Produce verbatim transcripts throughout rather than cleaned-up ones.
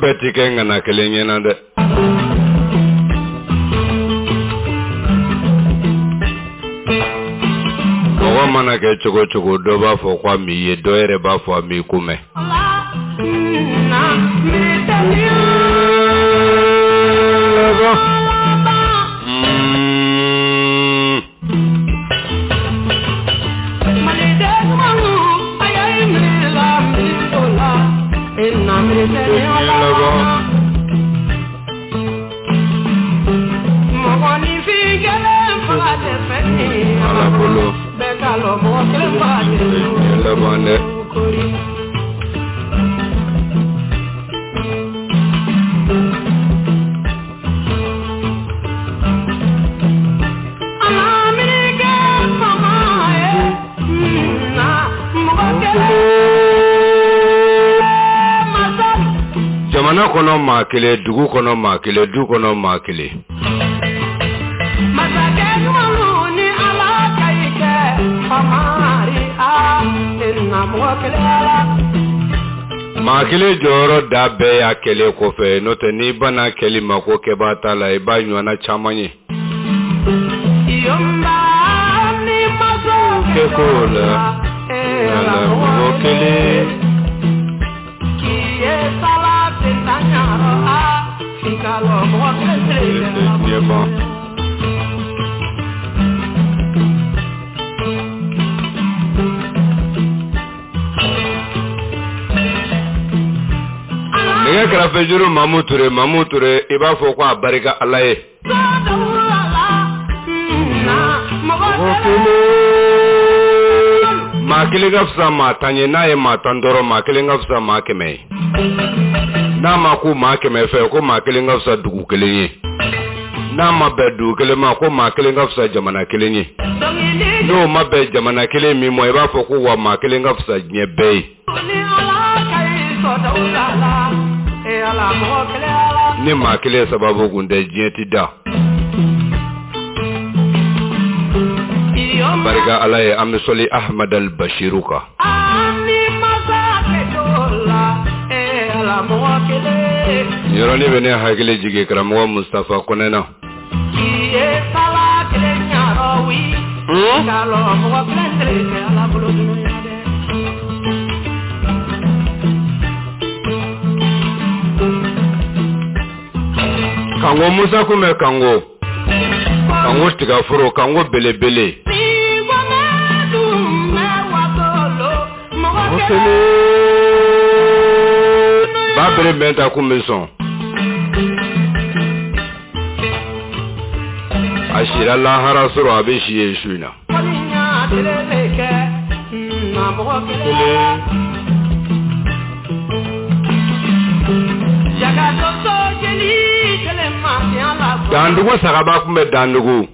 bɛɛ ti kɛ ŋana kelen ɲɛna dɛ. Mɔgɔ mana kɛ cogo cogo, dɔ b'a fɔ ko a m'i ye, dɔ yɛrɛ b'a fɔ a m'i ko mɛn. Jamana kɔnɔ maa kelen, dugu kɔnɔ maa kelen, du kɔnɔ maa kelen. Maa kelen jɔyɔrɔ da bɛɛ y'a kɛlen kɔfɛ, n'o tɛ n'i banna kɛli ma ko kɛbaa t'a la, i b'a ɲɔgɔnna caman ye. Kɛko la, ala mɔgɔ kelen. Nɛgɛ kɛrɛfɛjuru Mamu Ture, Mamu Ture, i b'a fɔ ko a barika Ala ye. Maa kelen ka fisa maa tan ye, n'a ye maa tan dɔrɔn, maa kelen ka fisa maa kɛmɛ ye. N'a ma ko maa kɛmɛ fɛ, ko maa kelen ka fisa dugu kelen ye. N'a ma bɛn dugu kelen ma, ko maa kelen ka fisa jamana kelen ye. N'o ma bɛn jamana kelen min ma, i b'a fɔ ko wa maa kelen ka fisa diɲɛ bɛɛ ye. Ni maa kelen sababu kun tɛ, diɲɛ ti da. Barika Ala ye, an bɛ sɔli Ahmad al-Bashiru kan. Yɔrɔnin bɛ ne hakili jigin karamɔgɔ Mustafa Kɔnɛ na. Kango Musa kun bɛ Kango, Kango tigaforo, Kango belebele. Ba bere bɛn ta kun bɛ sɔn. A sira lahara sɔrɔ, a bɛ si yen su in na. Dandugu sagaba kun bɛ Dandugu.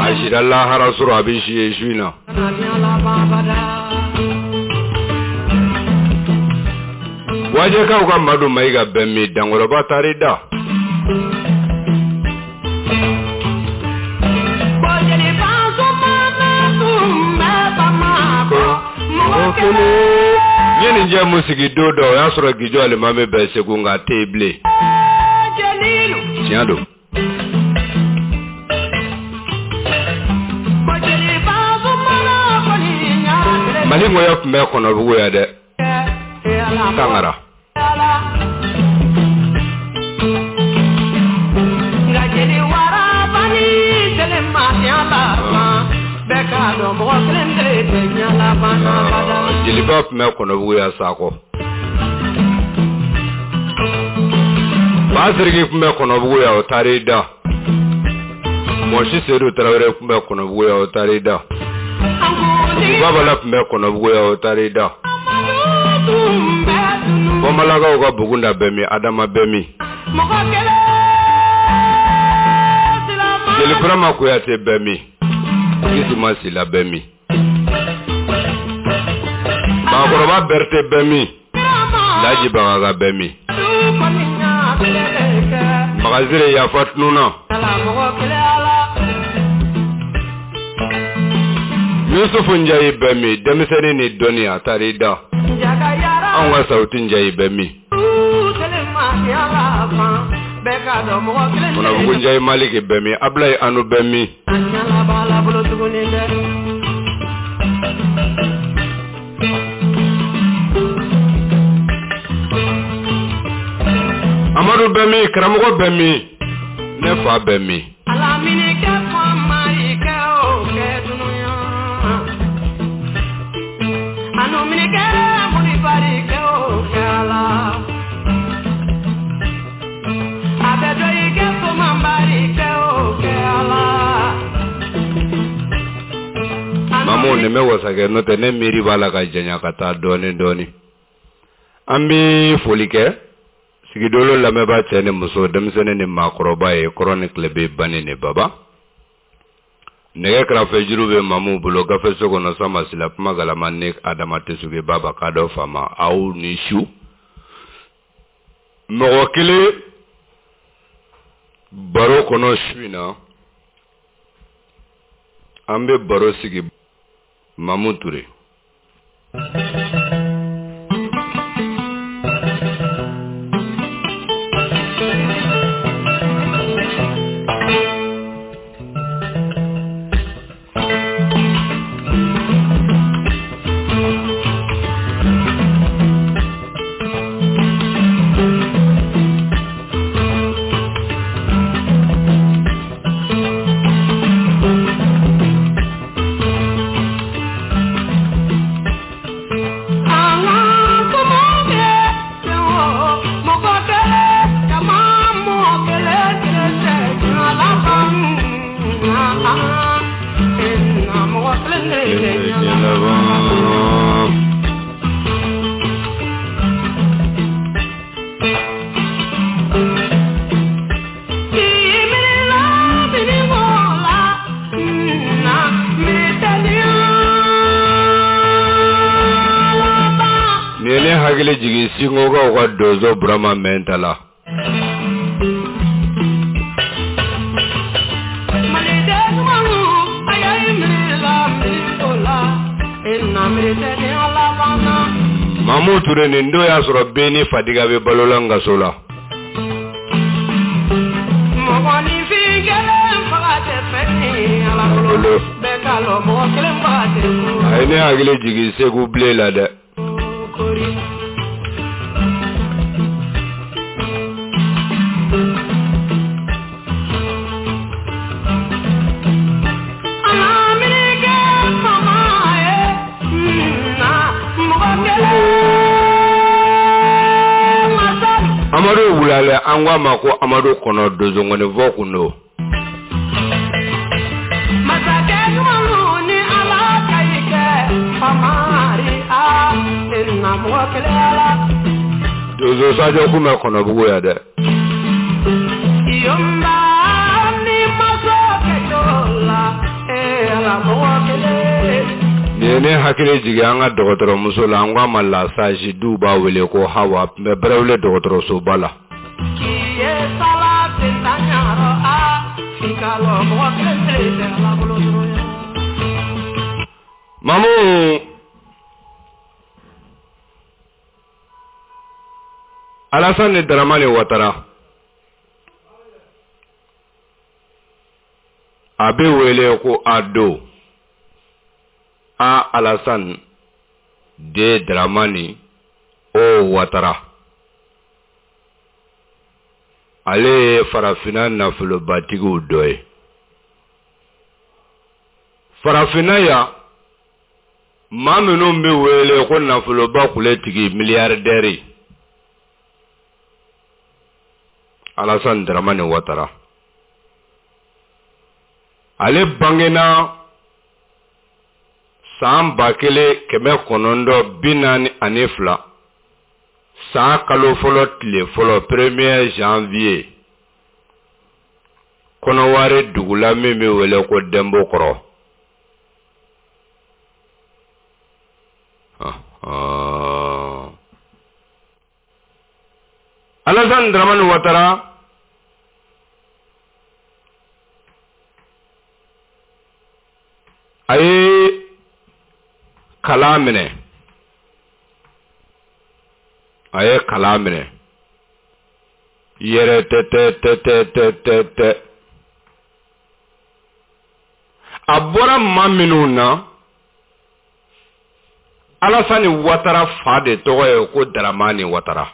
A sira lahara sɔrɔ, a bɛ si yen su in na. Wajɛkaw ka Madu Mayiga bɛ min, Dankɔrɔba taar'i da. N ye nin jɛ mun sigi don dɔ, o y'a sɔrɔ Gijo alimami bɛ Segu, nka a tɛ yen bilen. Tiɲɛ don. Mali ŋɔyɔ tun bɛ Kɔnɔbugu yan dɛ. Tangara. Jeliba tun bɛ Kɔnɔbugu yan Sakɔ. Basiriki tun bɛ Kɔnɔbugu yan, o taar'i da. Mɔsi Sedu Tarawele tun bɛ Kɔnɔbugu yan, o taar'i da. Babala tun bɛ Kɔnɔbugu yan, o taar'i da. Bɔnbalakaw ka Bugunda bɛ min, Adama bɛ min. Jeli Burama Kuyate bɛ min, Kisuma Sila bɛ min. Maakɔrɔba Berete bɛ min, Laji Bagaga bɛ min. Magazire yafa tununa. Yusufu Njayi bɛ min, denmisɛnnin ni dɔnni, a taar'i da. Anw ka Sawuti Njayi bɛ min. Kɔnɔbugu Njayi Maliki bɛ min? Abulayi Anu bɛ min? Amadu bɛ min? Karamɔgɔ bɛ min? Ne fa bɛ min? Mamu nin bɛ wasakɛ n'o tɛ ne miiri b'a la ka janya ka taa dɔɔni dɔɔni. An bɛ foli kɛ sigidolo lamɛnbaa cɛ ni muso, denmisɛnnin ni maakɔrɔba ye, kɔrɔ ni tilebe, bani ni baba. Nɛgɛ kɛrɛfɛ juru bɛ Mamu bolo gafe so kɔnɔ sama sila kuma galama ni Adama Tesuge baba k'a dɔ faama aw ni su. Mɔgɔ kelen baro kɔnɔ su in na, an bɛ baro sigi Mamu Ture. Hakili jigin Sinkokaw ka donso Burama Mɛnta la. Mamu Ture nin don y'a sɔrɔ Ben ni Fadiga bɛ balo la Ngaso la. A ye ne hakili jigin Segu bilen la dɛ. Amadu wulale an ko a ma ko Amadu kɔnɔ donsongɔnifɔ kun don. Donso Sajɔ kun bɛ Kɔnɔbugu yan dɛ. Nin ye ne hakili jigin an ka dɔgɔtɔrɔmuso la, an ko a ma Lasaji, du b'a wele ko Hawa, tun bɛ Bɛrɛwele dɔgɔtɔrɔsoba la. Mamu Alasani Daramani Watara, a bɛ wele ko Ado. A Alassane D Dramani O Watara. Ale ye farafinna nafolobatigiw dɔ ye. Farafinna yan, maa minnu bɛ wele ko nafoloba kuletigi milliardaire, Alassane Dramani Watara. Ale bangena san ba kelen kɛmɛ kɔnɔntɔn bi naani ani fila, san kalo fɔlɔ tile fɔlɔ premier janvier, Kɔnɔwari dugu la min bɛ wele ko Dɛnbokɔrɔ. Alassane Dramani Watara a ye kalan minɛ, a ye kalan minɛ. Yɛrɛ tɛ tɛ tɛ tɛ tɛ tɛ tɛ. A bɔra maa minnu na, Alasani Watara fa de tɔgɔ ye ko Daramani Watara.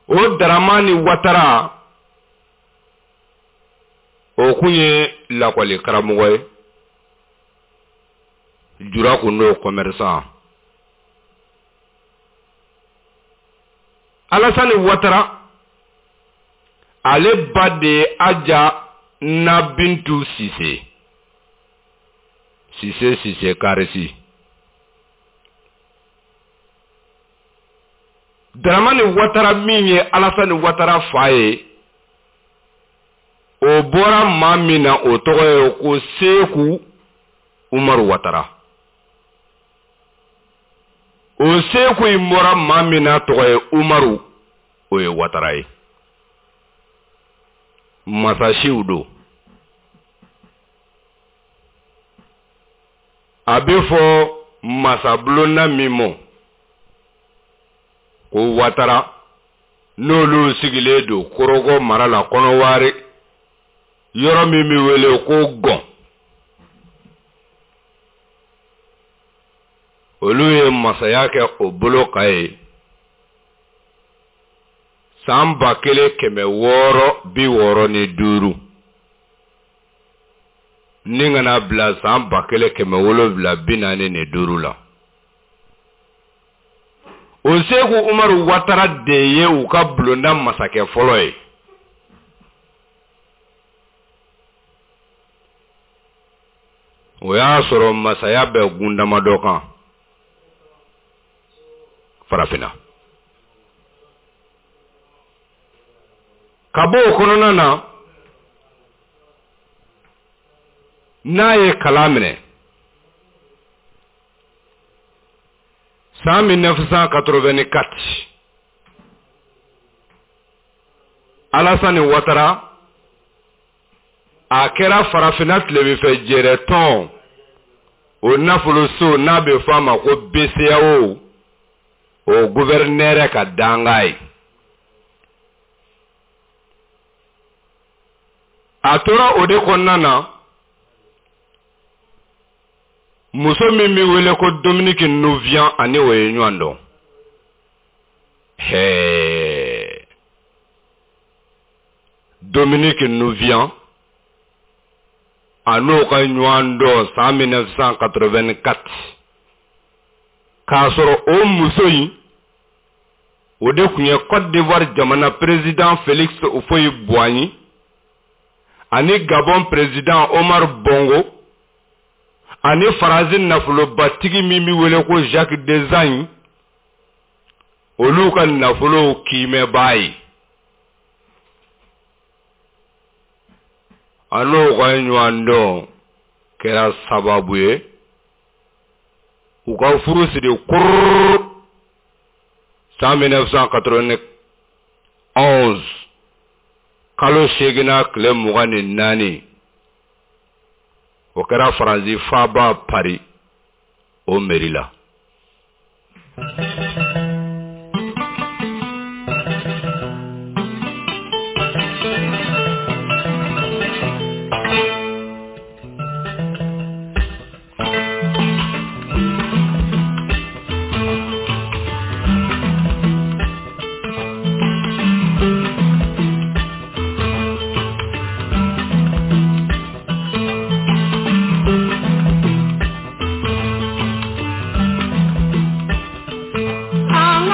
O Daramani Watara, o kun ye lakɔli karamɔgɔ ye, jura kun n'o commerçant. Alasani Watara, ale ba de ye Aja Nabintu Sise. Sise Sise Karisi. Daramani Watara min ye Alasani Watara fa ye, o bɔra maa min na, o tɔgɔ ye ko Seku Umaru Watara. O Seku in bɔra maa min na tɔgɔ ye Umaru, o ye Watara ye. Masasiw don. A bɛ fɔ masabulonda min ma ko Watara, n'olu sigilen don Korhogo mara la Kɔnɔwari, yɔrɔ min bɛ wele ko Gɔn. Olu ye masaya kɛ o bolo kan ye san ba kelen kɛmɛ wɔɔrɔ bi wɔɔrɔ ni duuru ni kana bila san ba kelen kɛmɛ wolonwula bi naani ni duuru la. O Seku Umaru Watara de ye u ka bulonda masakɛ fɔlɔ ye. O y'a sɔrɔ masaya bɛ gun damadɔ kan farafinna. Ka bɔ o kɔnɔna na, n'a ye kalan minɛ san mille neuf cent quatre-vingt-quatre, Alasani Watara a kɛra farafinna tilebinfɛ jɛrɛtɔn o nafoloso n'a bɛ fɔ a ma ko B C A O, o gouverneur ka danga ye. A tora o de kɔnɔna na, muso min bɛ wele ko Dominique Nouvian ani o ye ɲɔgɔn dɔn. Hɛɛ, Dominique Nouvian a n'o ka ɲɔgɔn dɔn san mille neuf cent quatre-vingt-quatre, k'a sɔrɔ o muso in o de tun ye Côte d'Ivoire jamana président Félix Houphouët-Boigny ani Gabon président Omar Bongo ani Faransi nafolobatigi min bɛ wele ko Jacques Desagne, olu ka nafolow kiimɛbaa ye. A n'o ka ɲɔgɔn dɔn kɛra sababu ye u ka furu siri kururu san mille neuf cent quatre-vingt-onze, kalo seeginna tile mugan ni naani, o kɛra Faransi faaba Paris o mairie la. An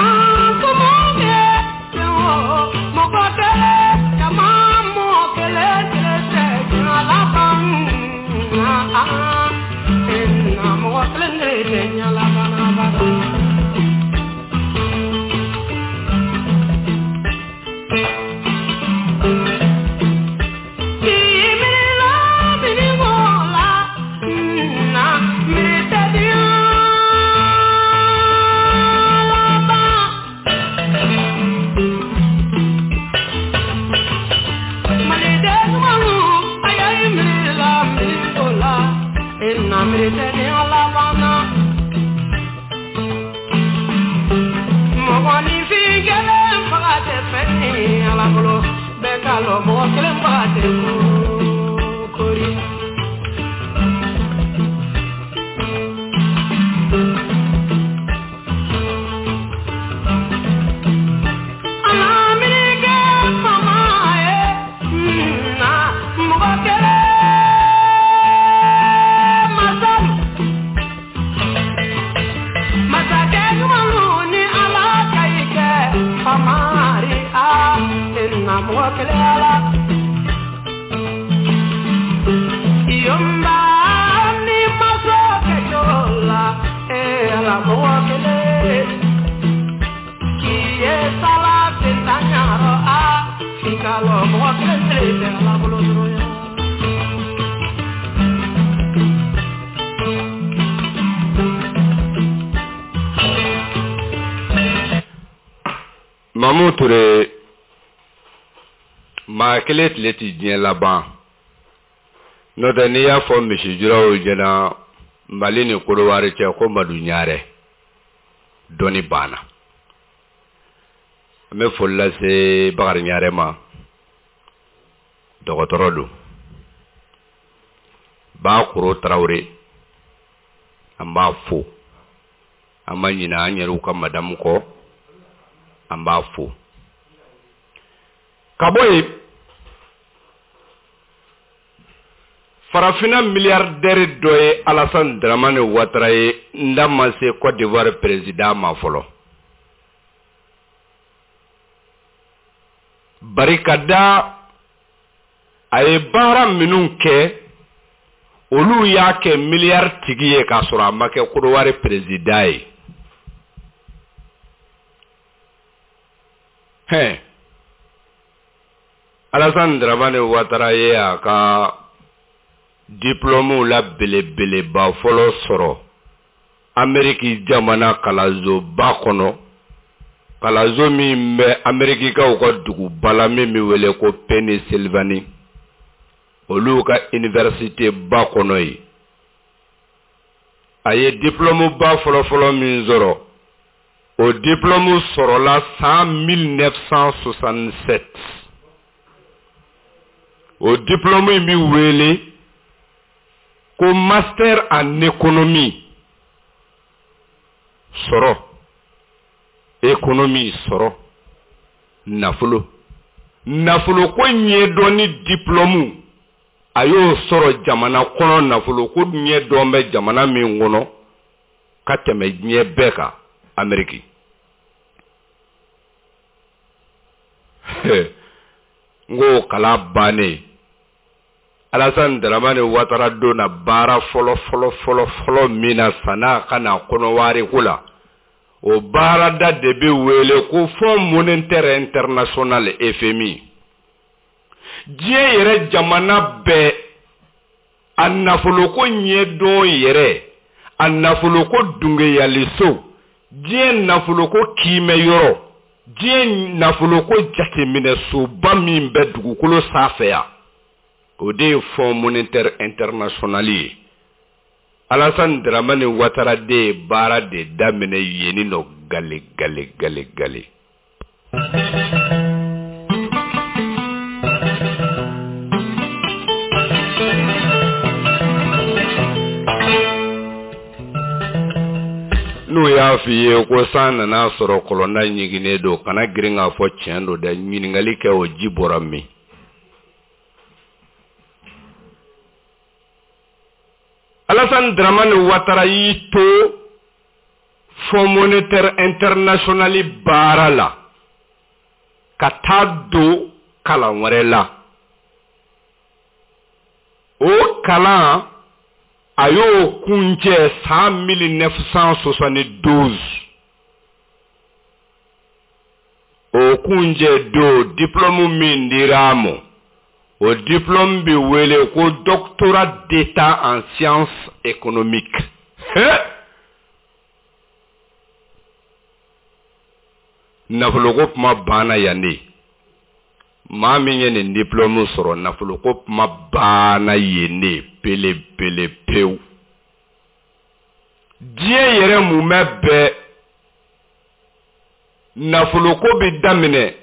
lɔ mɔgɔ kelen ba tɛ kori. Alamirike fama ye na mɔgɔ kelen masalu masakɛ ɲumanw ni Ala ka i kɛ famari a na mɔgɔ kelen ala. Yomba ni maso kɛ la e ala mɔgɔ kelen k'i ye sala sentanyarɔ a f'i ka lɔ mɔgɔ kelen tɛ tɛ ala bolo dɔrɔn ye. Mamu Ture, maa kelen tile ti diɲɛ laban. N'o tɛ n'i y'a fɔ misijuraw ɲɛna Mali ni Kodowari cɛ ko Madu Ɲarɛ, dɔnni banna. An bɛ foli lase Bakari Ɲarɛ ma, dɔgɔtɔrɔ don. Bakoro Tarawele, an b'a fo. An ma ɲinɛ an yɛrɛw ka madamu kɔ, an b'a fo. Ka bɔ yen, farafinna milliardaire dɔ ye Alassane Dramane Ouattara ye, n da ma se Côte d'Ivoire président ma fɔlɔ. Barikada a ye baara minnu kɛ, olu y'a kɛ miliyari tigi ye k'a sɔrɔ a ma kɛ Côte d'Ivoire président ye. Hɛn, Alassane Dramane Ouattara ye a ka diplôme la belebeleba fɔlɔ sɔrɔ Ameriki jamana kalansoba kɔnɔ, kalanso min bɛ Amerikikaw ka duguba la min bɛ wele ko Pennsylvanie, olu ka université ba kɔnɔ yen. A ye diplôme ba fɔlɔfɔlɔ min sɔrɔ, o diplôme sɔrɔla san mille neuf cent soixante-sept. O diplôme in bɛ wele ko master en économie. Sɔrɔ, économie sɔrɔ, nafolo. Nafoloko ɲɛdɔnni diplôme, a y'o sɔrɔ jamana kɔnɔ, nafoloko ɲɛdɔn bɛ jamana min kɔnɔ ka tɛmɛ diɲɛ bɛɛ kan, Amérique. N ko kalan bannen, Alassane Dramane Ouattara donna baara fɔlɔ fɔlɔ fɔlɔ fɔlɔ min na san'a ka na Kɔnɔwari ko la, o baarada de bɛ wele ko Fonds monétaire international F M I. Diɲɛ yɛrɛ jamana bɛɛ a nafoloko ɲɛdɔn yɛrɛ, a nafoloko dungeyaliso, diɲɛ nafoloko kiimɛ yɔrɔ, diɲɛ nafoloko jateminɛsoba min bɛ dugukolo sanfɛ yan, o de ye Fonds monétaire international ye. Alassane Dramane Ouattara de ye baara de daminɛ yen nɔ gale gale gale gale. N'u y'a f'i ye ko san nana sɔrɔ kɔlɔnda ɲiginnen don, kana girin k'a fɔ tiɲɛ don dɛ, ɲininkali kɛ o ji bɔra min. Alassane Dramane Ouattara y'i to Fonds monétaire international baara la ka taa don kalan wɛrɛ la. O kalan a y'o kuncɛ san mille neuf cent soixante-douze. O kuncɛ don, diplôme min dira a ma, o diplôme bɛ wele ko doctorat d'état en sciences économiques. Nafoloko kuma banna yan de. Maa min ye nin diplôme sɔrɔ, nafoloko kuma banna yen de pele pele pewu. Diɲɛ yɛrɛ mumɛ bɛɛ nafoloko bɛ daminɛ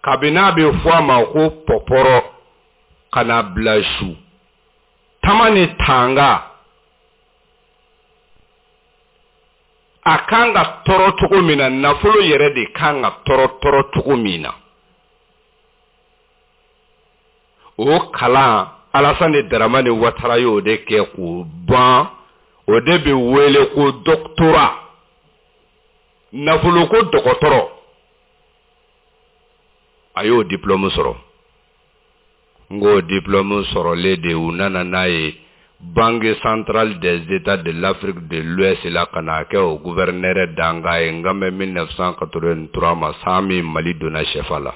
Kabini a bɛ fɔ a ma ko pɔpɔrɔ ka na bila su tama ni tanga, a kan ka tɔɔrɔ cogo min na, nafolo yɛrɛ de kan ka tɔɔrɔ tɔɔrɔ cogo min na, o kalan Alasani Daramani Watara y'o de kɛ k'o ban. O de bɛ wele ko doctorat, nafoloko dɔgɔtɔrɔ. A y'o diplôme sɔrɔ. N k'o diplôme sɔrɔlen de, u nana n'a ye Banque centrale des États de l'Afrique de l'Ouest la ka n'a kɛ o gouverneur dankan ye. N kan bɛ mille neuf cent quatre-vingt-trois ma, san min Mali donna C F A la.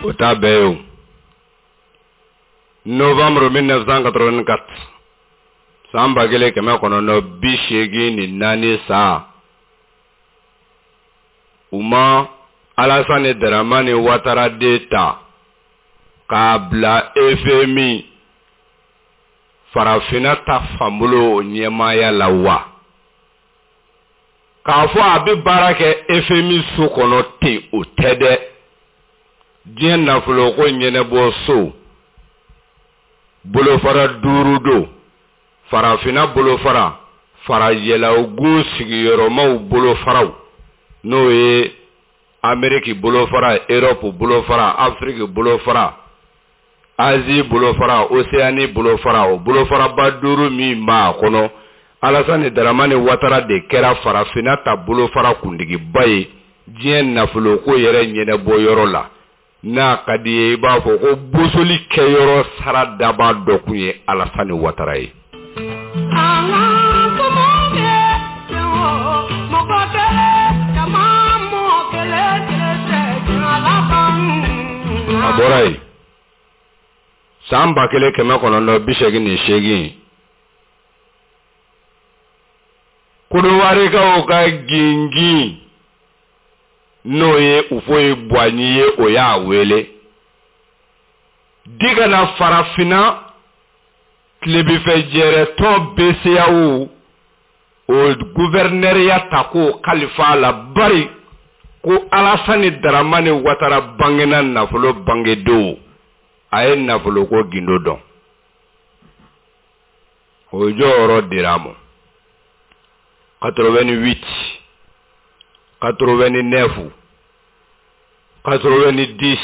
O t'a bɛɛ ye o. Novembre mille neuf cent quatre-vingt-quatre, san ba kelen kɛmɛ kɔnɔntɔn bi seegin ni naani san, u ma Alasani Daramani Watara den ta k'a bila F M I farafinna ta fanbolo ɲɛmaaya la wa? K'a fɔ a bɛ baara kɛ F M I so kɔnɔ ten, o tɛ dɛ. Diɲɛ nafoloko ɲɛnɛbɔ so bolofara duuru don: farafinna bolofara, farajɛlagun sigiyɔrɔmaw bolofaraw, n'o ye Ameriki bolofara, Europe bolofara, Afiriki bolofara, Asie bolofara, Océanie bolofara. O bolofaraba duuru min b'a kɔnɔ, Alasani Daramani Watara de kɛra farafinna ta bolofara kuntigiba ye diɲɛ nafoloko yɛrɛ ɲɛnɛbɔ yɔrɔ la. N'a ka di ye, i b'a fɔ ko bosoli kɛyɔrɔ sara daba dɔ kun ye Alasani Watara ye. An ka kɛ mɔgɔ kelen, jama mɔgɔ kelen kelen tɛ diɲɛ laban. A bɔra yen san ba kelen kɛmɛ kɔnɔntɔn bi seegin ni seegin, Kɔdiwarikaw ka gingin, n'o ye Houphouët Boigny ye, o y'a wele di ka na farafinna tilebinfɛ jɛrɛtɔn B C E A O o guvɛrnɛriya ta k'o kalifa a la, bari ko Alasani Daramani Watara bangena nafolo bangedon, a ye nafoloko gindo dɔn. O jɔyɔrɔ dira a ma quatre-vingt-huit, quatre-vingt-neuf, quatre-vingt-dix,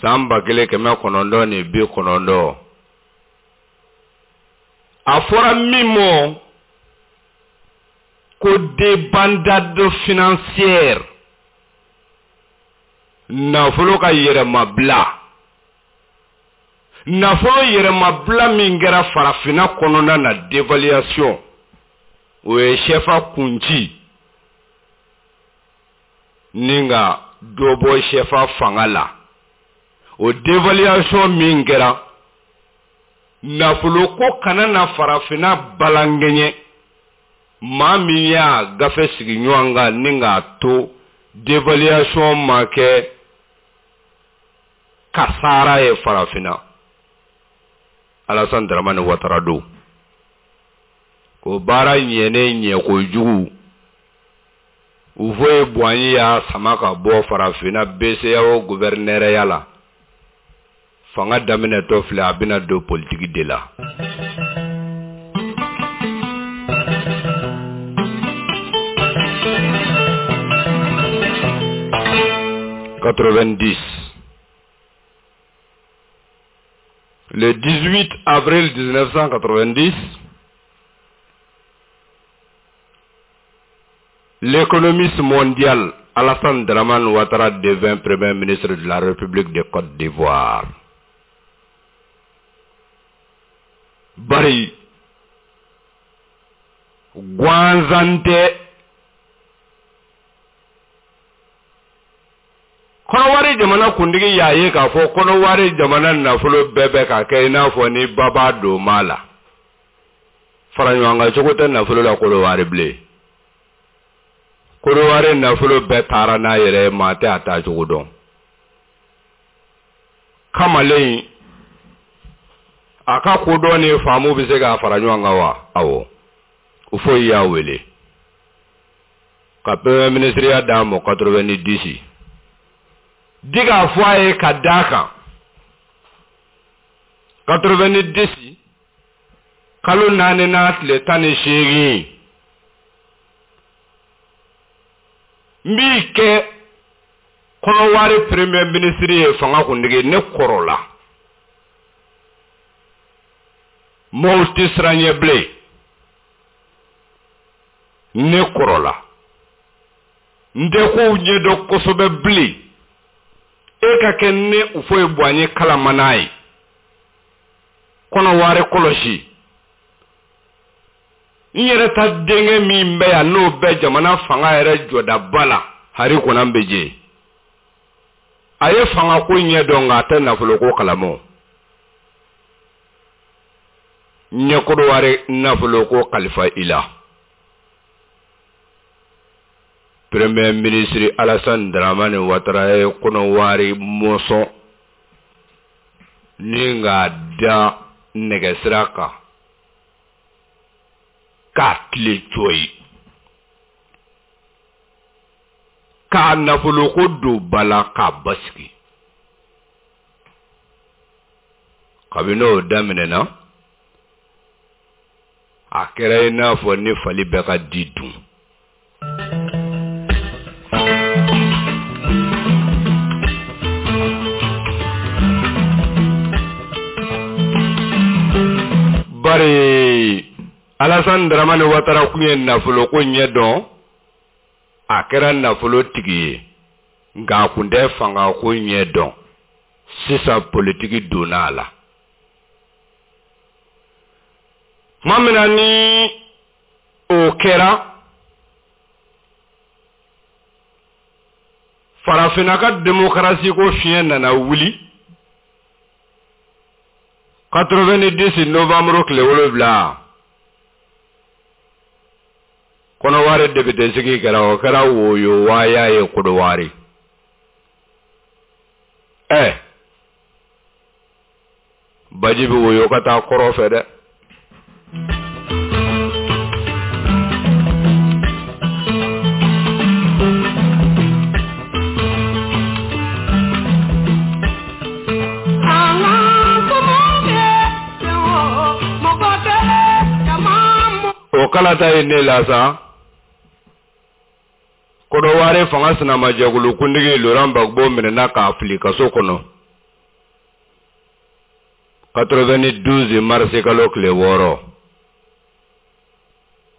san ba kelen kɛmɛ kɔnɔntɔn ni bi kɔnɔntɔn. A fɔra min ma ko débandade financière, nafolo ka yɛrɛmabila, nafolo yɛrɛmabila min kɛra farafinna kɔnɔna na, dévaluation, o ye C F A kunci ni ka dɔ bɔ C F A fanga la. O dévaluation min kɛra, nafolo ko kana na farafinna balankɛɲɛ. Maa min y'a gafe sigi ɲɔgɔn kan ni k'a to dévaluation ma kɛ kasaara ye farafinna, Alassane Dramane Ouattara don. O baara ɲɛnen ɲɛ kojugu, Houphouët Boigny y'a sama ka bɔ farafinna B C E A O gouverneur la. Fanga daminɛtɔ filɛ, a bɛna don politiki de la. Quatre-vingt-dix. Le dix-huit avril mille neuf cent quatre-vingt-dix, l'économiste mondial Alassane Dramane Ouattara devint Premier ministre de la République de Côte d'Ivoire. Bari gansan tɛ, Kɔnɔwari jamana kuntigi y'a ye k'a fɔ Kɔnɔwari jamana nafolo bɛɛ bɛ ka kɛ i n'a fɔ ni baba don ma la, fara ɲɔgɔn kan cogo tɛ nafolo la Kɔnɔwari bilen. Kɔnɔwari nafolo bɛɛ taara n'a yɛrɛ ye, maa tɛ a taa cogo dɔn. Kamalen a ka kodɔn ni faamu bɛ se k'a fara ɲɔgɔn kan wa? Awɔ. Houphouët y'a wele ka premier ministre d'a ma quatre-vingt-dix. Di k'a fɔ a ye ka d'a kan quatre-vingt-dix kalo naani n'a tile tan ni seegin n b'i kɛ Kɔnɔwari premier ministre ye fanga kuntigi, ne kɔrɔla. Maaw tɛ siran ɲɛ bilen, ne kɔrɔla. N tɛ kow ɲɛdɔn kosɛbɛ bilen. E ka kɛ ne Houphouët Boigny kalamana ye. Kɔnɔwari kɔlɔsi. N yɛrɛ ta denkɛ min bɛ yan n'o bɛ jamana fanga yɛrɛ jɔdaba la, Henri Konan Bédié. A ye fangako ɲɛdɔn nka a tɛ nafoloko kalama. N ye Kɔnɔwari nafoloko kalifa i la. Premier ministre Alassane Dramane Ouattara ye Kɔnɔwari mɔsɔn ni k'a da nɛgɛsira kan k'a tile cɔyi, k'a nafoloko don ba la k'a basigi. Kabini o daminɛna, a kɛra i n'a fɔ ni fali bɛ ka di dun. Bari Alassane Dramane Ouattara kun ye nafoloko ɲɛdɔn, a kɛra nafolo tigi ye, nka a kun tɛ fangako ɲɛdɔn. Sisan politiki donna a la. Tuma min na ni o kɛra, farafinna ka démocratie ko fiɲɛ nana wuli. quatre-vingt-dix novembre tile wolonwula, Kɔnɔwari député sigi kɛra, o kɛra woyo waaya ye Kɔnɔwari. Ɛ baji bɛ woyo ka taa kɔrɔ fɛ dɛ. O kalata ye ne la sa. Kɔnɔwari fanga sinamajɛkulu kuntigi Laurent Gbagbo minɛna k'a fili kaso kɔnɔ quatre-vingt-douze mars kalo tile wɔɔrɔ.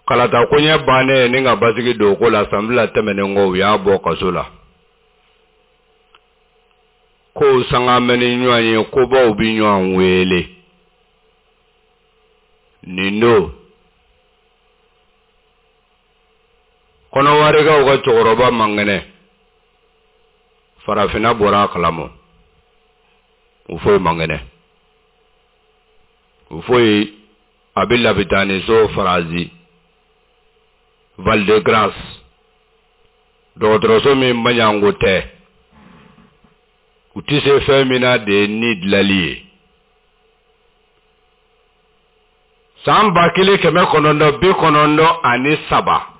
Kalata koɲɛ bannen ni ka basigi don ko la, san fila tɛmɛnen kɔ u y'a bɔ kaso la. Kow sanga mɛn ni ɲɔgɔn ye, kobaw bi ɲɔgɔn wele. Nin don Kɔnɔwarikaw ka cɛkɔrɔba man kɛnɛ, farafinna bɔra a kalama. Houphouët man kɛnɛ. Houphouët a bɛ labitaniso Faransi Val de Grâce, dɔgɔtɔrɔso min maɲanko tɛ, u tɛ se fɛn min na de ye ni dilali ye. San ba kelen kɛmɛ kɔnɔntɔn bi kɔnɔntɔn ani saba,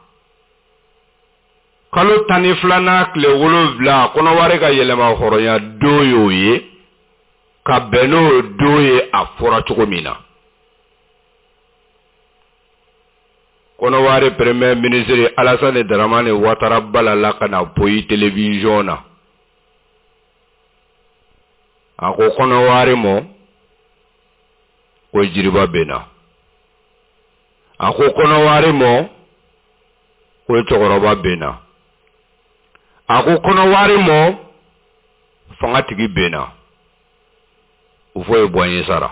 kalo tan ni filanan tile wolonwula, Kɔnɔwari ka yɛlɛma hɔrɔnya don y'o ye, ka bɛn n'o don ye a fɔra cogo min na. Kɔnɔwari premier ministre Alassane Dramane Ouattara balala ka na poyi télévision na. A ko Kɔnɔwari mɔ ko jiriba bɛ na. A ko Kɔnɔwari mɔ ko cɛkɔrɔba bɛ na. A ko Kɔnɔwari mɔ fangatigi bɛ na. Houphouët Boigny sara.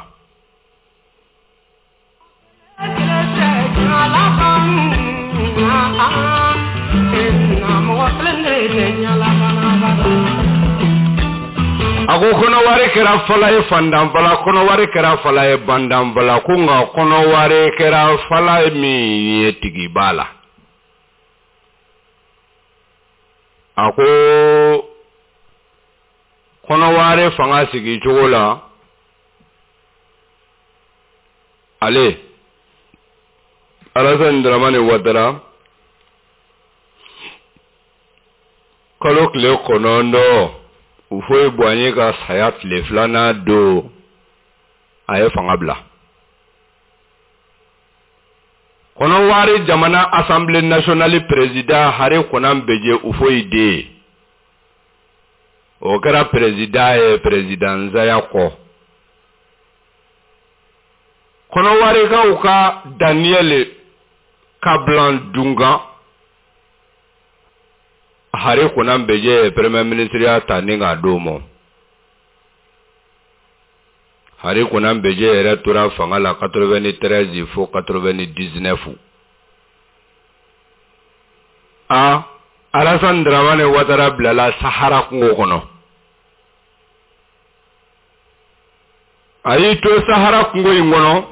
A ko Kɔnɔwari kɛra fala ye fandanfala, Kɔnɔwari kɛra fala ye bandanfala, ko nka Kɔnɔwari kɛra fala min ye tigiba la. A ko Kɔnɔware fanga sigi cogo la, ale Alassane Dramane Ouattara kalo tile kɔnɔntɔn Houphouët-Boigny ka saya tile filanan don, a ye fanga bila. Kɔnɔware jamana Assemblée nationale président Henri Konan Bédié Houphouët den, o kɛra président ye président saya kɔ. Kɔnɔwarekaw ka Daniel Kablan Duncan, Henri Konan Bédié ye premier ministre ya ta ni k'a d'o ma. Henri Konan Bédié yɛrɛ tora fanga la quatre-vingt-treize fo quatre-vingt-dix-neuf. A Alassane Dramane Ouattara bilala Sahara kungo kɔnɔ. A y'i to Sahara kungo in kɔnɔ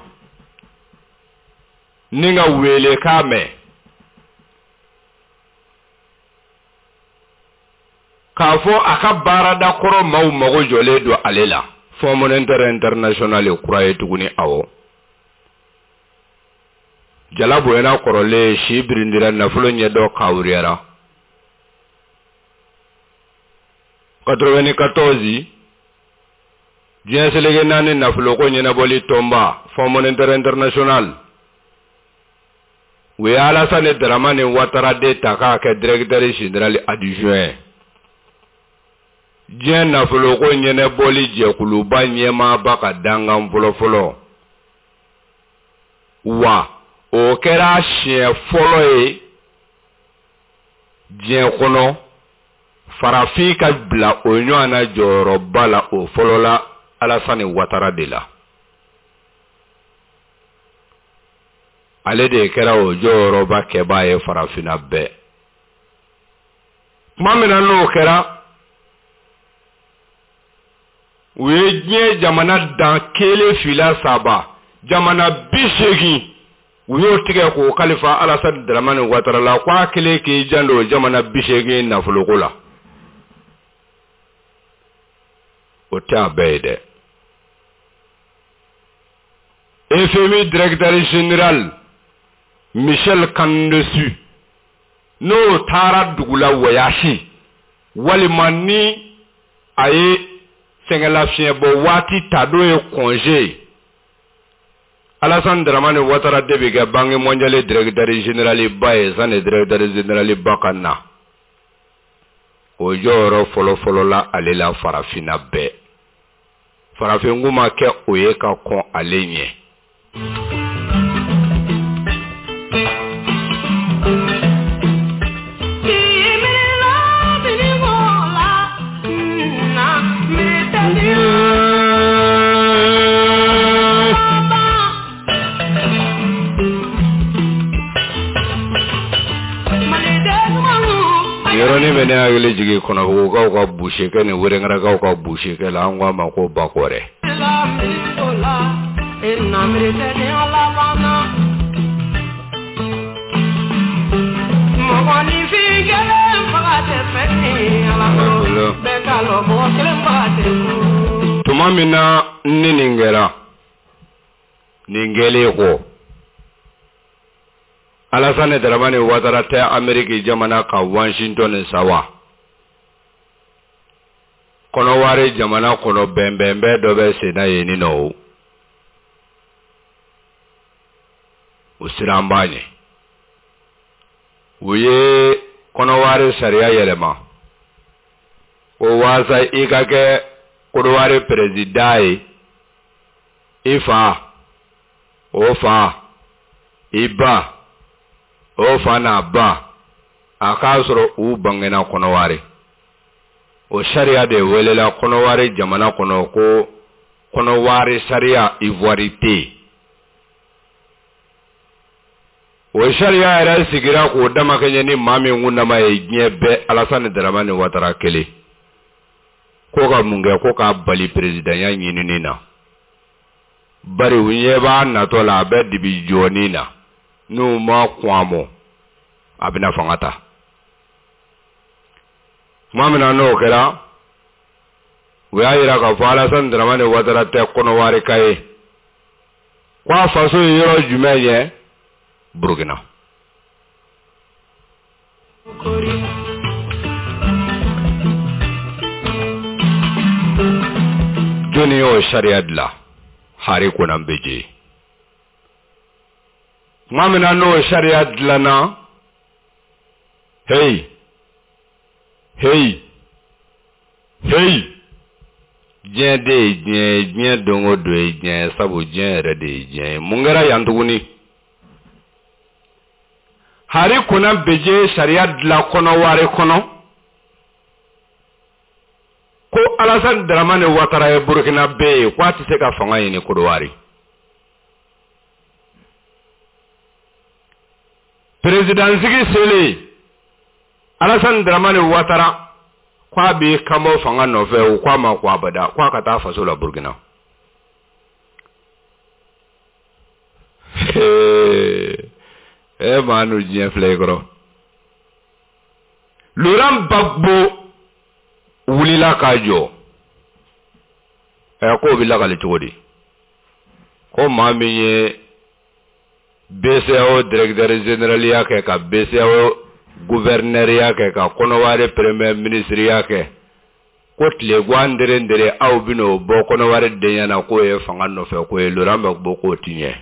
ni ka welekan mɛn k'a fɔ a ka baarada kɔrɔ maaw mago jɔlen don ale la. Fonds monétaire international kura ye tuguni. Awɔ, jala bonyana kɔrɔlen, si birindira, nafolo ɲɛdɔn kawuriyara. quatre-vingt-quatorze diɲɛ seleke naani nafoloko ɲɛnabɔli tɔnba Fonds monétaire international u ye Alassane Dramane Ouattara de ta k'a kɛ directeur général adjoint. Diɲɛ nafoloko ɲɛnabɔli jɛkuluba ɲɛmaaba ka dankan fɔlɔfɔlɔ, wa o kɛra siɲɛ fɔlɔ ye diɲɛ kɔnɔ farafin ka bila o ɲɔgɔn na jɔyɔrɔba la. O fɔlɔla Alassane Ouattara de la. Ale de kɛra o jɔyɔrɔba kɛbaa ye farafinna bɛɛ. Tuma min na n'o kɛra, u ye diɲɛ jamana dan kelen fila saba, jamana bi seegin, u y'o tigɛ k'o kalifa Alassane Dramane Ouattara la k'a kelen k'i janto jamana bi seegin nafoloko la. O tɛ a bɛɛ ye dɛ. F M I directeur général Michel Camdessus n'o taara dugu la voyage, walima ni a ye sɛgɛnlafiɲɛbɔ waati ta n'o ye congé, Alassane Dramane Ouattara de bɛ kɛ Banque mondiale directeur général ba ye sani directeur général ba ka na. O jɔyɔrɔ fɔlɔfɔlɔ la ale la farafinna bɛɛ. Farafin ma kɛ o ye ka kɔn ale ɲɛ. Yɔrɔnin bɛ ne hakili jigin Kɔnɔbugukaw ka busekɛ ni Wɛrɛngɛrɛkaw ka busekɛ la, an ko a ma ko Bakɔrɛ. Tuma min na ni nin kɛra, nin kɛlen kɔ, Alassane Dramane Ouattara tɛ Amérique jamana ka Washington sawa. Kɔnɔware jamana kɔnɔ bɛnbɛnbɛn dɔ bɛ sen na yen nɔ o. O siran b'a ɲɛ. U ye Kɔnɔware sariya yɛlɛma. O waasa i ka kɛ Kɔnɔware président ye, i fa, o fa, i ba, o fa n'a ba, a k'a sɔrɔ u bangena Kɔnɔware. O sariya de welela Kɔnɔware jamana kɔnɔ ko Kɔnɔware sariya ivoirité. O sariya yɛrɛ sigira k'o damakɛɲɛ ni maa min kundama ye diɲɛ bɛɛ, Alassane Dramane Ouattara kelen. Ko ka mun kɛ? Ko k'a bali présidentya ɲinini na. Bari u ɲɛ b'a natɔ la, a bɛ dibi jɔni na. N'u ma kɔn a mɔ, a bɛna fanga ta. Tuma min na n'o kɛra, u y'a yira k'a fɔ Alassane Dramane Ouattara tɛ Kɔnɔwari ka ye, ko a faso ye yɔrɔ jumɛn ye? Burukina. Jɔnni y'o sariya dilan? Henri Konan Bédié. Tuma min na n'o sariya dilanna, hey hey hey, diɲɛ de ye diɲɛ ye, diɲɛ don o don ye diɲɛ ye, sabu diɲɛ yɛrɛ de ye diɲɛ ye. Mun kɛra yan tuguni? Henri Konan Bédié sariya dilan Kɔnɔwari kɔnɔ ko Alassane Dramane Ouattara ye Burkinabé ye, ko a tɛ se ka fanga ɲini Kodowari. Président sigi selen, Alassane Dramane Ouattara ko a b'i kanbɔ fanga nɔfɛ, u ko a ma ko abada, ko a ka taa faso la Burkina. E maa n'u diɲɛ filɛ i kɔrɔ. Laurent Gbagbo wulila k'a jɔ. Ɛ k'o bɛ lakali cogo di? Ko maa min ye B C A O directeur général ya kɛ, ka B C A O gouverneur ya kɛ, ka Kɔnɔwari premier ministre ya kɛ, ko tilegan dere dere aw bɛn'o bɔ Kɔnɔwari denya na k'o ye fanga nɔfɛ ko ye. Laurent Gbagbo k'o ti ɲɛ.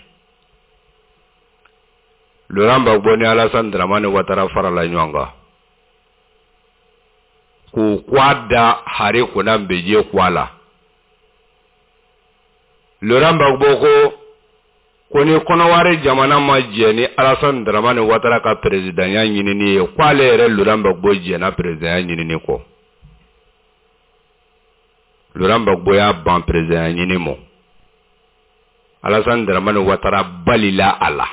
Laurent Gbagbo ni Alassane Dramane Ouattara farala ɲɔgɔn kan k'u kwa da Henri Konan Bédié kwa la. Laurent Gbagbo ko ko ni Kɔnɔwari jamana ma jɛ ni Alassane Dramane Ouattara ka présidentya ɲinini ye, k'ale yɛrɛ Laurent Gbagbo jɛnna présidentya ɲinini kɔ. Laurent Gbagbo y'a ban présidentya ɲini mɔ. Alassane Dramane Ouattara balila a la.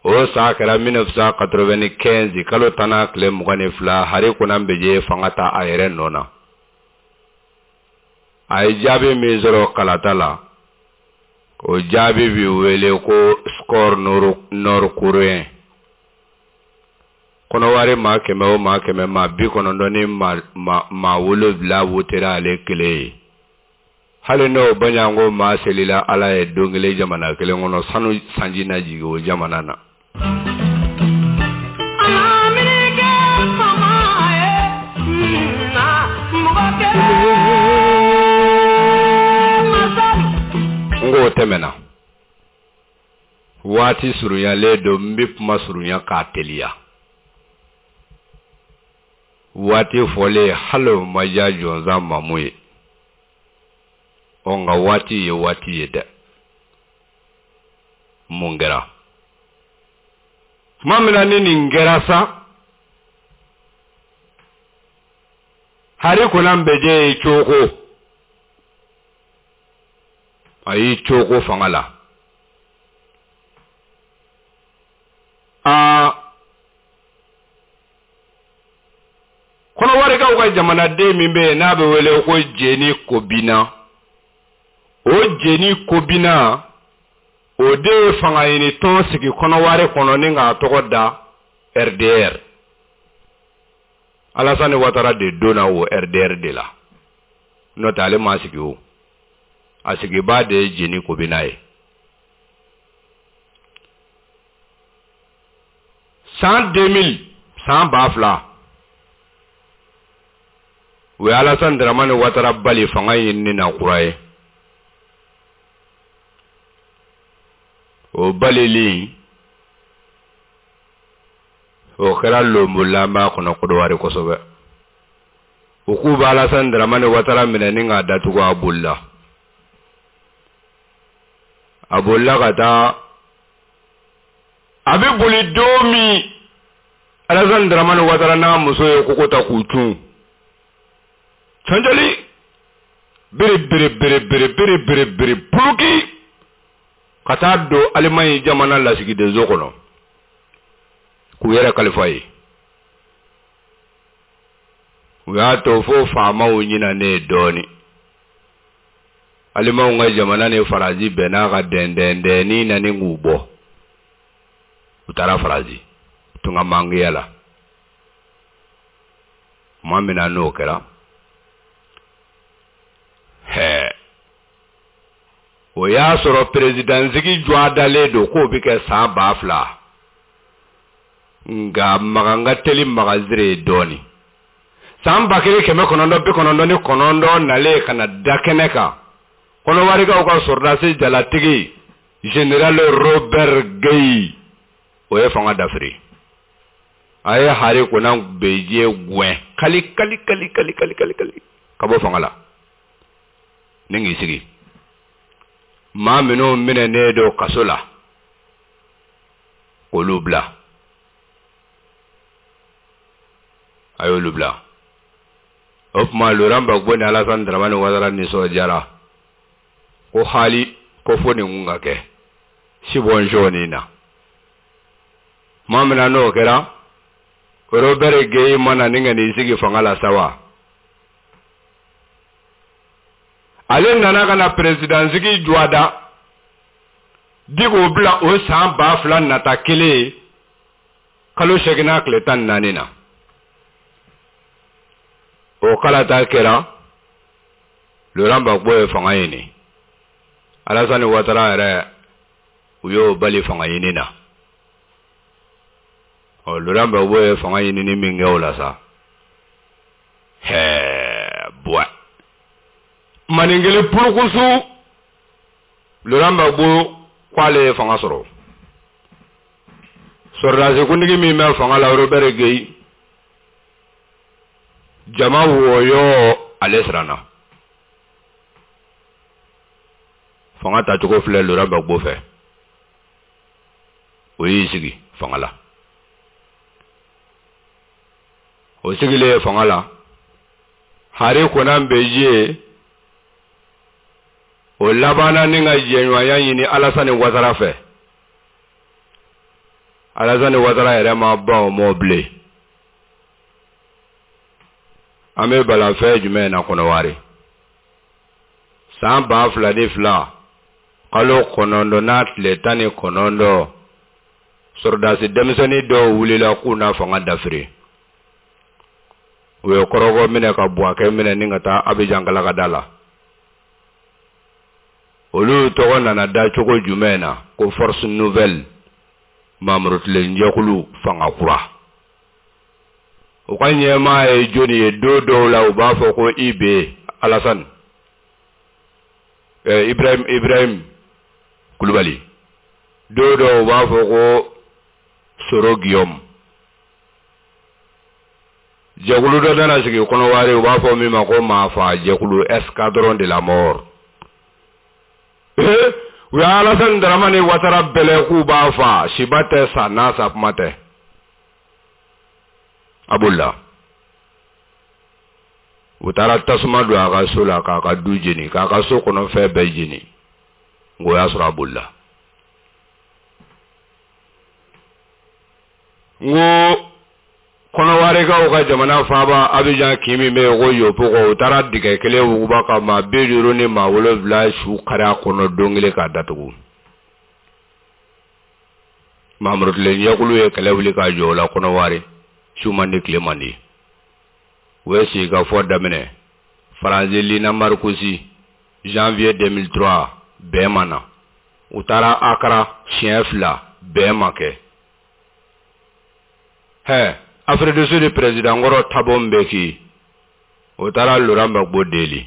O san kɛra mille neuf cent quatre-vingt-quinze kalo tan n'a tile mugan ni fila, Henri Konan Bédié fanga ta a yɛrɛ nɔ na. A ye jaabi min sɔrɔ kalata la, o jaabi bi wele ko score nord-coréen. Kɔnɔwari maa kɛmɛ o maa kɛmɛ, maa bi kɔnɔntɔn ni maa wolonwula wotera ale kelen ye. Hali n'o baɲanko maa selila Ala ye don kelen jamana kelen kɔnɔ, sanu sanji na jigin o jamana na. N k'o tɛmɛna. Waati surunyalen don, n bɛ kuma surunya k'a teliya. Waati fɔlen hali o ma diya jɔnsan mamu ye. Ɔ nka waati ye waati ye dɛ. Mun kɛra? Tuma min na ni nin kɛra sa, Henri Konan Bédié ye cogo, a y'i cogo fanga la. Aa, Kɔnɔwarikaw ka jamanaden min bɛ yen n'a bɛ wele ko Jeni Kobina, o Jeni Kobina o de ye fanga ɲini tɔn sigi Kɔnɔwari kɔnɔ ni k'a tɔgɔ da R D R. Alassane Ouattara de donna o R D R de la. N'o tɛ ale ma sigi o. A sigibaa de ye Jeni Kobina ye. San deux mille, san ba fila, u ye Alassane Dramane Ouattara bali fanga ɲinini na kura ye. O balili o kɛra lonbolanba kɔnɔ Kodowari kosɛbɛ. U k'u bɛ Alassane Dramane Ouattara minɛ ni k'a datugu, a bolila. A bolila ka taa, a bɛ boli don min, Alassane Dramane Ouattara n'a muso ye koko ta k'u cun. Cɔnjɔli bere bere bere bere bere bere bere puluki ka taa don Alimaɲi jamana lasigidenso kɔnɔ k'u yɛrɛ kalifa ye. U y'a to fo faamaw ɲinanen dɔɔnin. Alimaw ka jamana ni Faransi bɛnn'a ka dɛndɛndɛnni na ni k'u bɔ. U taara Faransi tunga mangiya la. Tuma min na n'o kɛra, hɛ, o y'a sɔrɔ perezidansigi jɔdalen don k'o bɛ kɛ san ba fila, nka Makan ka teli magazire ye dɔɔnin. San ba kelen kɛmɛ kɔnɔntɔn bi kɔnɔntɔn ni kɔnɔntɔn nalen ka na da kɛnɛ kan, Kɔnɔwarikaw ka sɔrɔdasi jalatigi général Robert Gueï, o ye fanga dafiri. A ye Henri Konan Bédié gɛn kali kali kali kali kali kali kali ka bɔ fanga la ni k'i sigi. Maa minnu minɛnen don kaso la, k'olu bila, a y'olu bila. O tuma Laurent Gbagbo ni Alassane Dramane Ouattara nisɔndiyara ko hali ko fo nin kun ka kɛ sibɔnsɔn na. Tuma min na n'o kɛra, Robert Gueï mana ni ka n'i sigi fanga la sa wa, ale nana ka na perezidansigi jɔda di k'o bila o san ba fila nata kelen kalo seegin n'a tile tan ni naani na. O kalata kɛra, Laurent Gbagbo ye fanga ɲini. Alassane Ouattara yɛrɛ, u y'o bali fanga ɲini na. Ɔ, Laurent Gbagbo ye fanga ɲinini min kɛ o la sa, hɛɛ buwa maninkelen purukusu, Laurent Gbagbo k'ale ye fanga sɔrɔ. Sɔrɔdasi kuntigi min bɛ fanga la, Robert Gueï, jama wɔyɔ, ale siranna. Fanga tacogo filɛ Laurent Gbagbo fɛ, o y'i sigi fanga la. O sigilen fanga la, Henri Konan Bédié o labanna ni ka jɛɲɔgɔnya ɲini Alassane Ouattara fɛ. Alassane Ouattara yɛrɛ ma ban o mɔ bilen. An bɛ balafɛn jumɛn na Kɔnɔwari? San ba fila ni fila kalo kɔnɔntɔn n'a tile tan ni kɔnɔntɔn, sɔrɔdasi denmisɛnnin dɔw wulila k'u na fanga dafiri. U ye kɔrɔgɔ minɛ ka Buwakɛ minɛ ni ka taa Abidjan galakada la. Olu tɔgɔ nana da cogo jumɛn na? Ko Force Nouvelle, Mamurutilen jɛkulu fanga kura. U ka ɲɛmaa ye jɔnni ye? Don dɔw la u b'a fɔ ko I B Alassane, eh, Ibrahim Ibrahim Kulubali. Don dɔw u b'a fɔ ko Soro Guillaume. Jɛkulu dɔ nana sigi Kɔnɔwari, u b'a fɔ min ma ko maafa jɛkulu, escadron de la mort. U ye Alassane Dramane Ouattara bɛlɛ k'u b'a fa, siba tɛ sa n'a sa kuma tɛ. A bolila. U taara tasuma don a ka so la k'a ka du jeni, k'a ka so kɔnɔ fɛn bɛɛ jeni. Nka o y'a sɔrɔ a bolila. N ko Kɔnɔwarikaw ka jamana faaba Abidjan kin min bɛ yen ko Yopougon, u taara dingɛ kelen wuguba ka maa bi duuru ni maa wolonwula su kari a kɔnɔ don kelen k'a datugu. Mamurutilen jɛkulu ye kɛlɛ wuli k'a jɔ o la Kɔnɔwari, su man di tile man di. U ye sigikafɔ daminɛ Faransi Lina Marcoussis janvier deux mille trois, bɛn ma na. U taara Accra siɲɛ fila, bɛn ma kɛ. Hɛ, Afrique du Sud président kɔrɔ Thabo Mbeki, o taara Laurent Gbagbo deli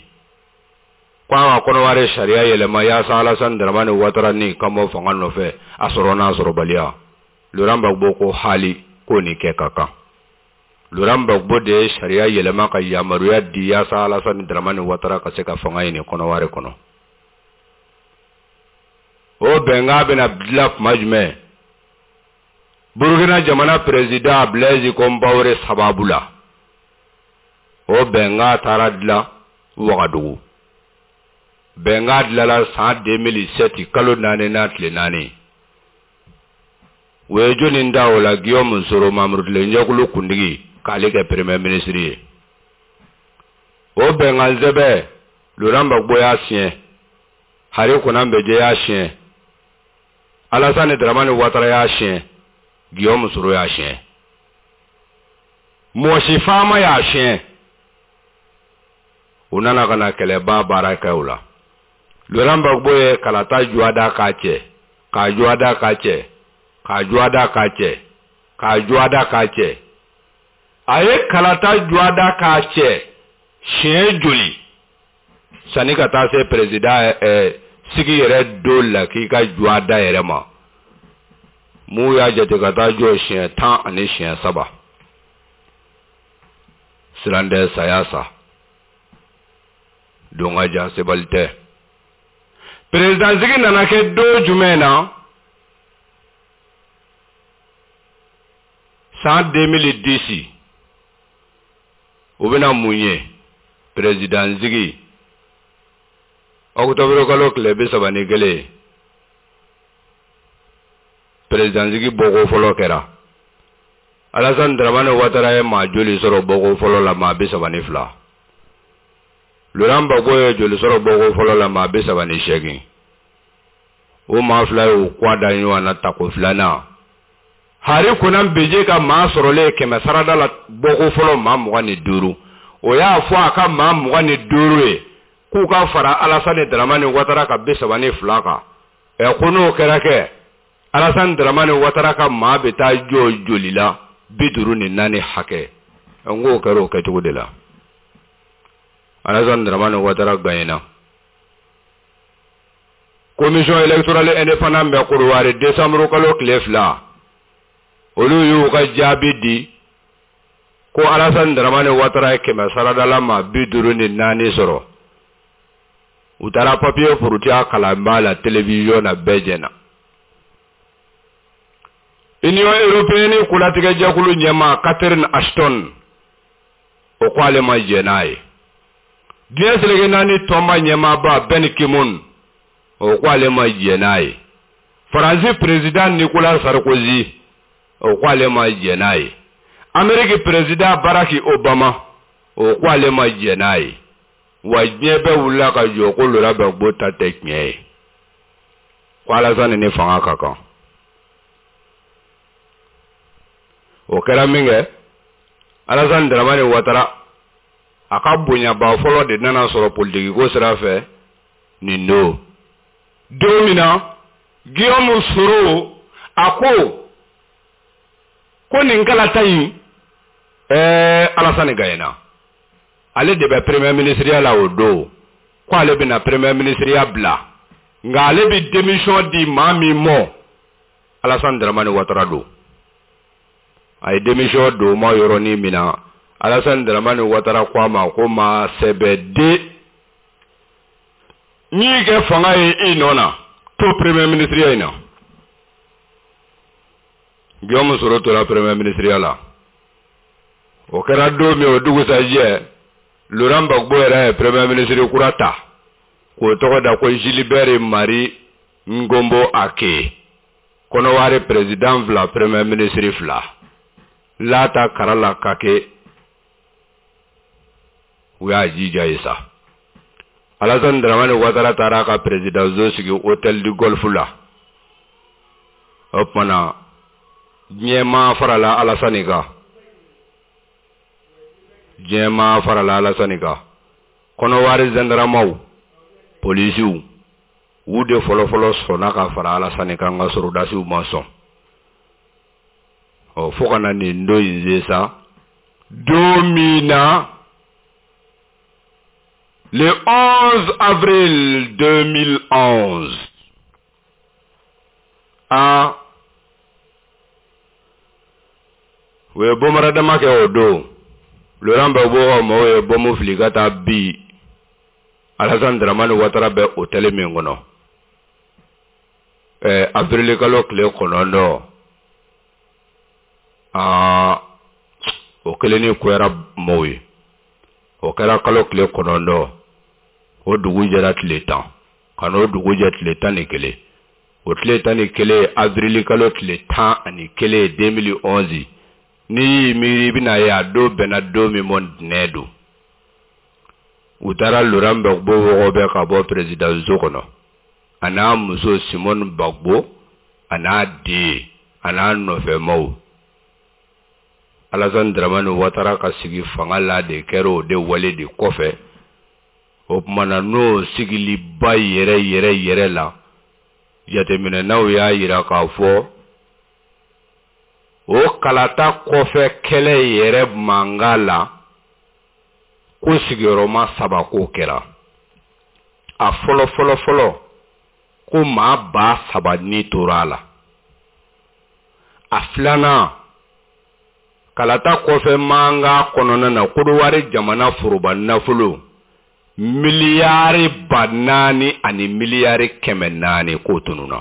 ko a ka Kɔnɔwari sariya yɛlɛma yaasa Alassane Dramane Ouattara ni ka bɔ fanga nɔfɛ, a sɔrɔ n'a sɔrɔbaliya. Laurent Gbagbo ko hali k'o ni kɛ ka kan. Laurent Gbagbo de ye sariya yɛlɛma ka yamaruya di yaasa Alassane Dramane Ouattara ka se ka fanga ɲini Kɔnɔwari kɔnɔ. O bɛnkan bɛna dilan tuma jumɛn? Burukina jamana président Blaise Compaoré sababu la. O bɛnkan taara dilan Wagadugu. Bɛnkan dilanla san deux mille sept kalo naani n'a tile naani. U ye jɔnni da o la? Guillaume Soro, Mamurutilen jɛkulu kuntigi, k'ale kɛ premier ministre ye. O bɛnkan sɛbɛn, Laurent Gbagbo y'a siɲɛ, Henri Konan Bédié y'a siɲɛ, Alassane Dramane Ouattara y'a siɲɛ, Guillaume Soro y'a siɲɛ. Mɔgɔ si faama y'a siɲɛ. U nana ka na kɛlɛba baara kɛ o la. Laurent Gbagbo ye kalata juwa da k'a cɛ, k'a juwa da k'a cɛ, k'a juwa da k'a cɛ, k'a juwa da k'a cɛ. A ye kalata juwa da k'a cɛ siɲɛ joli sanni ka taa se président ɛɛ sigi yɛrɛ don la k'i ka juwa da yɛrɛ ma. Mun y'a jate ka taa jɔ siɲɛ tan ani siɲɛ saba. Siran tɛ saya sa. Don ka jan sebali tɛ. Président sigi nana kɛ don jumɛn na? San deux mille dix. O bɛna mun ye? Président sigi. Octobre kalo tile bi saba ni kelen. Président sigi bɔko fɔlɔ kɛra. Alassane Dramane Ouattara ye maa joli sɔrɔ bɔko fɔlɔ la? Maa bi saba ni fila. Laurent Gbagbo ye joli sɔrɔ bɔko fɔlɔ la? Maa bi saba ni seegin. O maa fila y'u kɔ da ɲɔgɔn na tako filanan. Hari Konan Beje ka maa sɔrɔlen kɛmɛ sarada la bɔko fɔlɔ maa mugan ni duuru. O y'a fɔ a ka maa mugan ni duuru ye k'u ka fara Alassane Dramane Ouattara ka bi saba ni fila kan. Ɛ ko n'o kɛra kɛ, Alassane Dramane Ouattara ka maa bɛ taa jɔ joli la? Bi duuru ni naani hakɛ. N k'o kɛra o kɛcogo de la. Alassane Dramane Ouattara gagnena. Commission électorale indépendante bɛ Korowari décembre kalo tile fila. Olu y'u ka jaabi di ko Alassane Dramane Ouattara ye kɛmɛ saradala maa bi duuru ni naani sɔrɔ. U taara papier furutiya kalanba la télévision na, bɛɛ jɛna. Union européenne kolatigɛjɛkulu ɲɛmaa Catherine Ashton, o ko ale ma jɛn n'a ye. Diɲɛ seleke naani tɔnba ɲɛmaaba Ben Ki-moon, o ko ale ma jɛn n'a ye. Faransi président Nicolas Sarkozy, o ko ale ma jɛn n'a ye. Amérique président Barack Obama, o ko ale ma jɛn n'a ye. Wa diɲɛ bɛɛ wulila ka jɔ ko Laurent Gbagbo ta tɛ tiɲɛ ye. Ko Alassane ni fanga ka kan. O kɛra min kɛ, Alassane Dramane Ouattara a ka bonyaba fɔlɔ de nana sɔrɔ politiki ko sira fɛ nin don. Don min na Guillaume Soro a ko ko nin kalata in ɛɛ Alassane gagnena. Ale de bɛ premier ministre la o don. Ko ale bɛna premier ministre bila. Nka ale bɛ démission di maa min ma, Alassane Dramane Ouattara don. A ye démission don ma yɔrɔnin min na, Alassane Dramane Ouattara ko a ma ko maa sɛbɛ den n'i y'i kɛ fanga ye i nɔ na, to premier ministre in na. Guillaume Soro tora premier ministre la. O kɛra don min, o dugusajɛ, Laurent Gbagbo yɛrɛ ye premier ministre kura ta k'o tɔgɔ da ko Gilbert Marie Ngombo Ake. Kɔnɔwari président fila, premier ministre fila. Lata kara la kake u y'a jija ye sa. Alassane Dramane Ouattara taara a ka président zo sigi hôtel du Golfe la. O tuma na diɲɛ maa farala Alassane kan. Diɲɛ maa farala Alassane kan. Kɔnɔwari gendarmew, polisiw, u de fɔlɔfɔlɔ sɔnna ka fara Alassane kan, nka sɔrɔdasiw ma sɔn. Ɔ fo ka na nin don in se sa, don min na le onze avril deux mille onze, a u ye bombardement kɛ o don. Laurent Gbagbo ka mɔgɔw ye bɔnbu fili ka taa bi Alassane Dramane Ouattara bɛ hôtel min kɔnɔ. Ɛɛ avril kalo tile kɔnɔntɔn, aa o kelen ni kuyara mɔgɔw ye. O kɛra kalo tile kɔnɔntɔn, o dugu jɛra tile tan, ka n'o dugu jɛ tile tan ni kelen. O tile tan ni kelen, avril kalo tile tan ani kelen deux mille onze, n'i y'i miiri i bɛna ye a don bɛnna don min ma, ntɛnɛn don. U taara Laurent Gbagbo wɔgɔbɛ ka bɔ président so kɔnɔ, a n'a muso Simone Gbagbo, a n'a den, a n'a nɔfɛmaw. Alassane Dramane Ouattara ka sigi fanga la de kɛra o de wale de kɔfɛ. O tuma na, n'o sigiliba yɛrɛ yɛrɛ yɛrɛ la, jateminɛnaw y'a yira k'a fɔ o kalata kɔfɛ kɛlɛ yɛrɛ mankan la, ko sigiyɔrɔma saba k'o kɛra. A fɔlɔ fɔlɔ fɔlɔ, ko maa ba saba ni tora a la. A filanan, kalata kɔfɛ mankan kɔnɔna na, Kodowari jamana foroba nafolo miliyari ba naani ani miliyari kɛmɛ naani k'o tununa,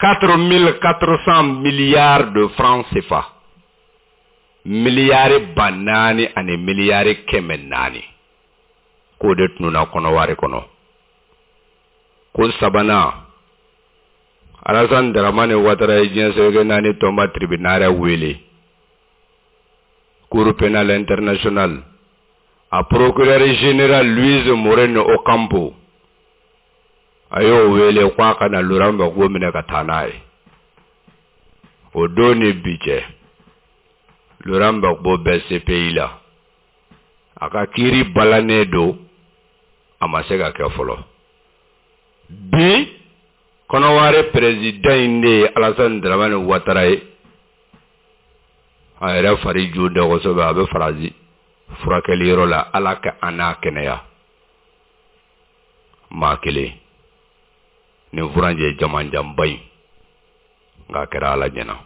quatre mille quatre cents milliards de francs C F A, miliyari ba naani ani miliyari kɛmɛ naani k'o de tununa Kɔnɔwari kɔnɔ. Ko sabanan, Alassane Dramane Ouattara ye diɲɛ seleke naani tɔnba tribunal wele, Cour pénale internationale, a procureur général Luis Moreno Ocampo, a y'o wele ko a ka na Laurent Gbagbo minɛ ka taa n'a ye. O don ni bi cɛ, Laurent Gbagbo bɛ C P I la, a ka kiiri balannen don, a ma se ka kɛ fɔlɔ. Bi Kɔnɔwari président in de ye Alassane Dramane Ouattara ye. A yɛrɛ fari jo dɛ kosɛbɛ, a bɛ Faransi furakɛliyɔrɔ la. Ala ka an n'a kɛnɛya. Maa kelen nin furanjɛ jamanjanba in, nka a kɛra Ala ɲɛna.